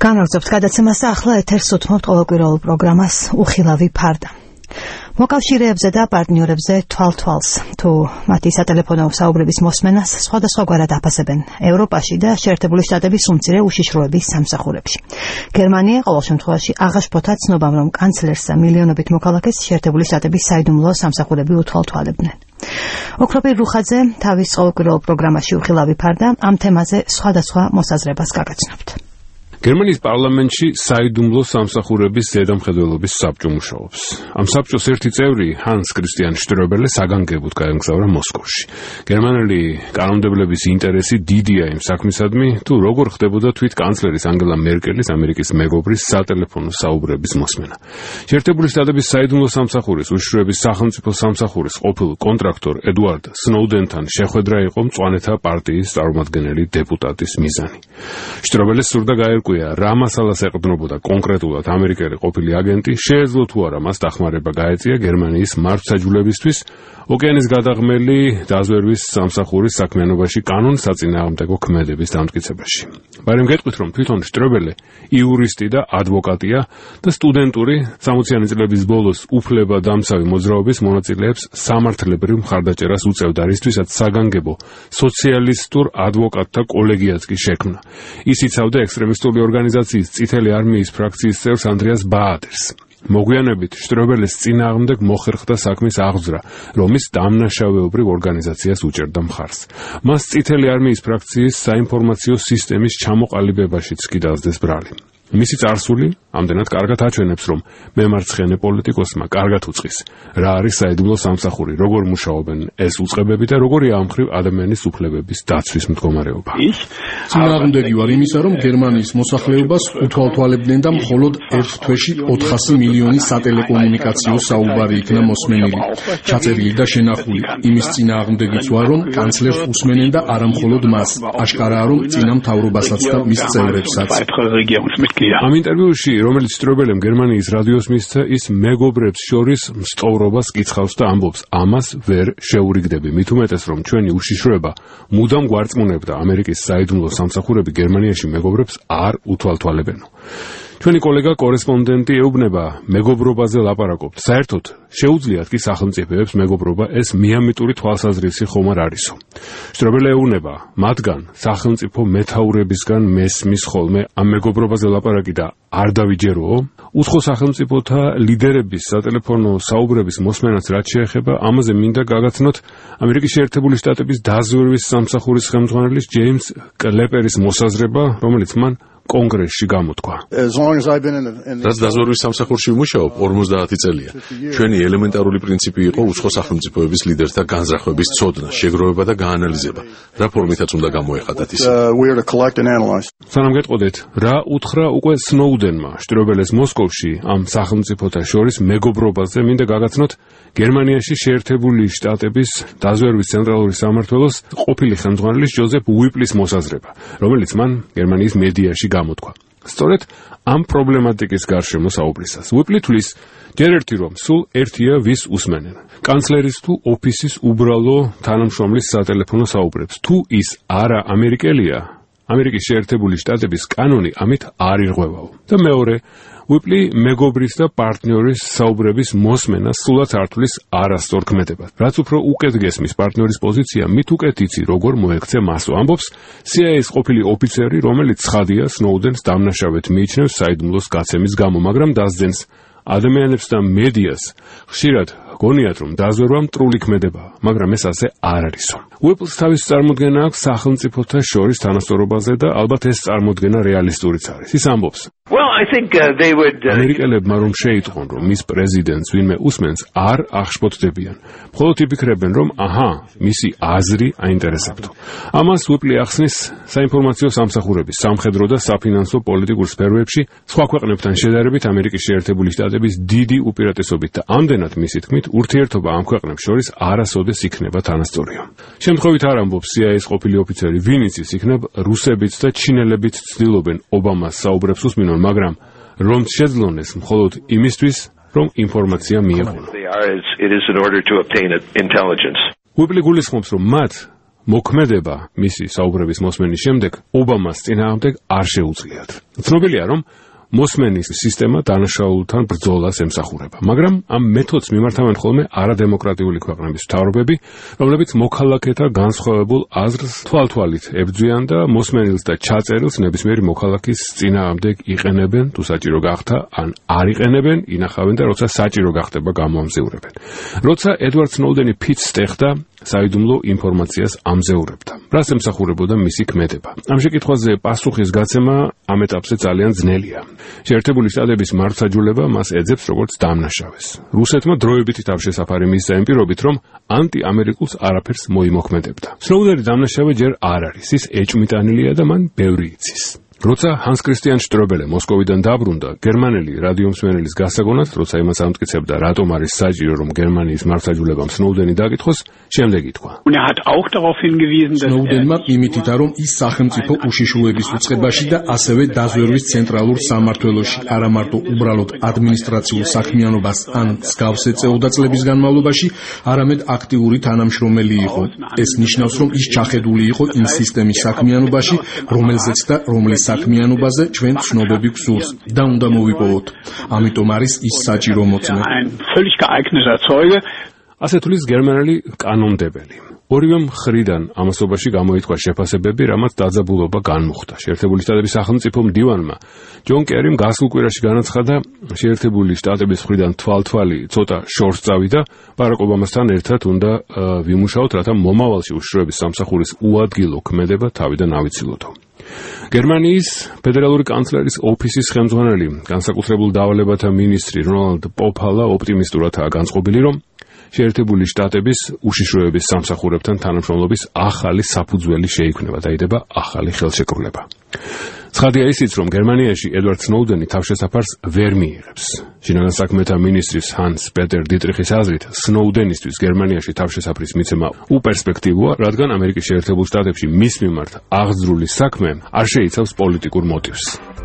განაგრძობთ გადაცემას და ახლა ეთერს უთმობთ ყოველკვირეულ პროგრამას უხილავი ფარდა. მოკავშირეებზე და პარტნიორებზე თვალ-თვალს თუ მათი სატელეფონო საუბრების მოსმენას სხვადასხვაგვარად აფასებენ ევროპაში და შეერთებული შტატების უმცირე უშიშროების სამსახურებში. გერმანია ყოველ შემთხვევაში აღაშფოთა ცნობამ, რომ კანცლერს და მილიონობით მოქალაქეს შეერთებული შტატების საიდუმლო სამსახურები უთვალთვალებდნენ. ოქროპირ რუხაძე თავის ყოველკვირეულ პროგრამაში უხილავი ფარდა ამ თემაზე სხვადასხვა მოსაზრებას გაგაცნობთ. გერმანიის პარლამენტში საიდუმლო სამსახურების ზედამხედველობის საბჭო მუშაობს. ამ საბჭოს ერთი წევრი ჰანს კრისტიან შტრობელე საგანგებოდ გაემგზავრა მოსკოვში. გერმანელი კანონმდებლების ინტერესი დიდია იმ საქმისადმი, თუ როგორ ხდებოდა თვით კანცლერის ანგელა მერკელის, ამერიკის მეგობრის სატელეფონო საუბრების მოსმენა. შეერთებული შტატების საიდუმლო სამსახურის უშიშროების სახელმწიფო სამსახურის ყოფილ კონტრაქტორ ედუარდ სნოუდენთან შეხვედრა იყო მწვანეთა პარტიის წარმომადგენელი დეპუტატის მიზანი. შტრობელეს სურდა გაერკვია რა მასალას ეყრდნობოდა კონკრეტულად ამერიკელი ყოფილი აგენტი, შეეძლო თუ არა მას დახმარება გაეწია გერმანიის მართლმსაჯულებისთვის ოკეანის გადაღმელი დაზვერვის სამსახურის საქმიანობაში კანონსაწინააღმდეგო ქმედების დამტკიცებაში. მაგრამ გეტყვით, რომ თვითონ შტრობელე იურისტი და ადვოკატია და სტუდენტური 60-იანი წლების ბოლოს უფლებადამცავი მოძრაობის მონაწილეებს სამართლებრივ მხარდაჭერას უწევდა, რისთვისაც საგანგებო სოციალისტურ ადვოკატთა კოლეგიაც კი შექმნა. ის იცავდა ექსტრემისტული ორგანიზაციის წითელი არმიის ფრაქციის წევრს ანდრეას ბაადერს. მოგვიანებით შტრობელეს წინააღმდეგ მოხერხდა საქმის აღძვრა, რომლის დამნაშავეობრივ ორგანიზაციას უჭერდა მხარს. მას წითელი არმიის ფრაქციის საინფორმაციო სისტემის ჩამოყალიბებაშიც კი დასდეს ბრალი. მისი წარსული ამდენად კარგად აჩვენებს, რომ მემარცხენე პოლიტიკოსმა კარგად უწყის, რა არის საიდუმლო სამსახური, როგორ მუშაობენ ეს უწყებები და როგორია ამ მხრივ ადამიანის უფლებების დაცვის მდგომარეობა. წინააღმდეგი ვარ იმისა, რომ გერმანიის მოსახლეობას უთვალთვალებდნენ და მხოლოდ ერთ თვეში 400 მილიონი სატელეკომუნიკაციო საუბარი იქნა მოსმენილი, ჩაწერილი და შენახული. იმის წინააღმდეგიც ვარ, რომ კანცლერს უსმენენ და არა მხოლოდ მას. აშკარაა, რომ წინა მთავრობასაც და მის წევრებსაც. ამ ინტერვიუში, რომელიც შტრობელემ გერმანიის რადიოს მისცა, ის მეგობრებს შორის მსტოვრობას კითხავს და ამბობს, ამას ვერ შეურიგდები. მით უმეტეს, რომ ჩვენი უშიშროება მუდამ გვარწმუნებდა, ამერიკის საიდუმლო სამსახურები გერმანიაში მეგობრებს არ უთვალთვალებენო. ჩვენი კოლეგა კორესპონდენტი ეუბნება, მეგობრობაზე ლაპარაკობთ. საერთოდ შეუძლიათ კი სახელმწიფოებს მეგობრობა, ეს მიამიტური თვალსაზრისი ხომ არ არისო. შტრობელე ეუბნება, მათგან სახელმწიფო მეთაურებისგან მესმის ხოლმე ამ მეგობრობაზე ლაპარაკი და არ დავიჯეროო. უცხო სახელმწიფოთა ლიდერების სატელეფონო საუბრების მოსმენაც რაც შეეხება, ამაზე მინდა გაგაცნოთ ამერიკის შეერთებული შტატების დაზვერვის სამსახურის ხელმძღვანელის ჯეიმს კლეპერის მოსაზრება, რომელიც მან კონგრესში გამოთქვა. რაც დაზვერვის სამსახურში ვმუშაობ 50 წელია. ჩვენი ელემენტარული პრინციპი იყო უცხო სახელმწიფოების ლიდერთა განზრახვების ცოდნა, შეგროვება და გაანალიზება. რა ფორმითაც უნდა გამოეხატათ ის. სანამ გეტყოდეთ, რა უთხრა უკვე სნოუდენმა შტრობელეს მოსკოვში ამ სახელმწიფოთა შორის მეგობრობაზე, მინდა გაგაცნოთ გერმანიაში შეერთებული შტატების დაზვერვის ცენტრალური სამმართველოს ყოფილი ხელმძღვანელის ჯოზეფ უიპლის მოსაზრება, რომელიც მან გერმანიის მედიაში გამოთქვა. სწორედ ამ პრობლემატიკის გარშემო საუბრისას. უიპლი თვლის, ჯერ ერთი რომ სულ ერთია ვის უსმენენ. კანცლერის თუ ოფისის უბრალო თანამშრომლის სატელეფონო საუბრებს. თუ ის არა ამერიკელია, ამერიკის შეერთებული შტატების კანონი ამით არ ირღვევაო. და მეორე, უიპლი მეგობრის და პარტნიორის საუბრების მოსმენა სულაც არ თვლის არასწორ ქმედებად. რაც უფრო უკეთ გესმის პარტნიორის პოზიცია, მით უკეთ იცი როგორ მოექცე მასო. ამბობს CIA-ის ყოფილი ოფიცერი, რომელიც ცხადია სნოუდენს დამნაშავედ მიიჩნევს საიდუმლოს გაცემის გამო, მაგრამ დასძენს ადამიანებს და მედიას ხშირად გონიათ, რომ დაზვერვა მტრული ქმედებაა, მაგრამ ეს ასე არ არისო. უიპლს თავის წარმოდგენა აქვს სახელმწიფოთა შორის თანასწორობაზე და ალბათ ეს წარმოდგენა რეალისტურიც არის. ის ამბობს, ამერიკელებმა რომ შეიტყვონ, რომ მის პრეზიდენტს ვინმე უსმენს, არ აღშფოთდებიან. მხოლოდ იფიქრებენ, რომ აჰა, მისი აზრი აინტერესებთო. ამას უიპლი ახსნის საინფორმაციო სამსახურების, სამხედრო და საფინანსო პოლიტიკურ სფეროებში სხვა ქვეყნებთან შედარებით ამერიკის შეერთებული შტატების დიდი უპირატესობით და ამდენად მისი თქმით, ურთიერთობა ამ ქვეყნებს შორის არასოდეს იქნება თანასწორია. შემთხვევით არ ამბობს CIA-ის ყოფილი ოფიცერი, ვინიც ის იქნებ, რუსებიც და ჩინელებიც ცდილობენ ობამას საუბრებს უსმინონ, მაგრამ რომ შეძლონეს მხოლოდ იმისთვის, რომ ინფორმაცია მიეღონ. უიპლი გულისხმობს, რომ მათ მოქმედება მისი საუბრების მოსმენის შემდეგ ობამას წინააღმდეგ არ შეუძლიათ. ცნობილია, რომ მოსმენის სისტემა დანაშაულთან ბრძოლას ემსახურება, მაგრამ ამ მეთოდს მიმართავენ ხოლმე არადემოკრატიული ქვეყნების მთავრობები, რომლებიც მოქალაქეთა განსხვავებულ აზრს თვალთვალით ებრძვიან და მოსმენილს და ჩაწერილს ნებისმიერი მოქალაქის წინააღმდეგ იყენებენ, თუ საჭირო გახდა, ან არ იყენებენ, ინახავენ და როცა საჭირო გახდება გამოამზეურებენ. როცა ედვარდ სნოუდენი ფიცს ტეხდა, საიდუმლო ინფორმაციას ამზეურებდა. რას ემსახურებოდა მისი ქმედება? ამ შეკითხვაზე პასუხის გაცემა ამ ეტაპზე ძალიან ძნელია. შეერთებული შტატების მართლმსაჯულება მას ეძებს როგორც დამნაშავეს. რუსეთმა დროებითი თავშესაფარი მისცა იმ პირობით, რომ ანტიამერიკულს არაფერს მოიმოქმედებდა. სნოუდენი დამნაშავე ჯერ არ არის, ის ეჭვმიტანილია და მან ბევრი იცის. როცა ჰანს კრისტიან შტრობელე მოსკოვიდან დაბრუნდა, გერმანელი რადიომსმენელის გასაგონად, როცა იმას ამტკიცებდა, რატომ არის საჭირო, რომ გერმანიის მართლმსაჯულებამ სნოუდენი დააკითხოს, შემდეგ ითქვა. სნოუდენმა იმით ითქვა, რომ ის სახელმწიფო უშიშროების უწყებაში და ასევე დაზვერვის ცენტრალურ სამმართველოში არა მარტო უბრალოდ ადმინისტრაციულ საქმიანობას ან მსგავს ეწეოდა წლების განმავლობაში, არამედ აქტიური თანამშრომელი იყო. ეს ნიშნავს, რომ ის ჩახედული იყო იმ სისტემის საქმიანობაში, რომელზეც და რომლის საქმიანობაზე ჩვენ ცნობები გვსურს და უნდა მოვიპოვოთ. ამიტომ არის ის საჭირო მოწმე. ასე თulis გერმანელი კანონდებელი. ორივე მხრიდან ამასობაში გამოითქვა შეფასებები, რამაც დაძაბულობა განმუხტა. შეერთებული შტატების სახელმწიფო მდივანმა ჯონ კერიმ გასულ კვირაში განაცხადა, შეერთებული შტატების მხრიდან თვალთვალი ცოტა შორს წავიდა, ბარაკ ობამასთან ერთად უნდა ვიმუშაოთ, რათა მომავალში უშიშროების სამსახურის უადგილო ქმედება თავიდან ავიცილოთ. გერმანიის ფედერალური კანცლერის ოფისის ხელმძღვანელი, განსაკუთრებულ დავალებათა მინისტრი რონალდ პოფალა ოპტიმისტურადაა განწყობილი, რომ შეერთებული შტატების უშიშროების სამსახურებთან თანამშრომლობის ახალი საფუძველი შეიქმნება, დაიდება ახალი ხელშეკრულება. ცხადია ისიც, რომ გერმანიაში ედვარდ სნოუდენი თავშესაფარს ვერ მიიღებს. შინაგან საქმეთა მინისტრის ჰანს პეტერ დიტრიხის აზრით, სნოუდენისთვის გერმანიაში თავშესაფრის მიცემა უპერსპექტივოა, რადგან ამერიკის შეერთებულ შტატებში მის მიმართ აღძრული საქმე არ შეიცავს პოლიტიკურ მოტივს.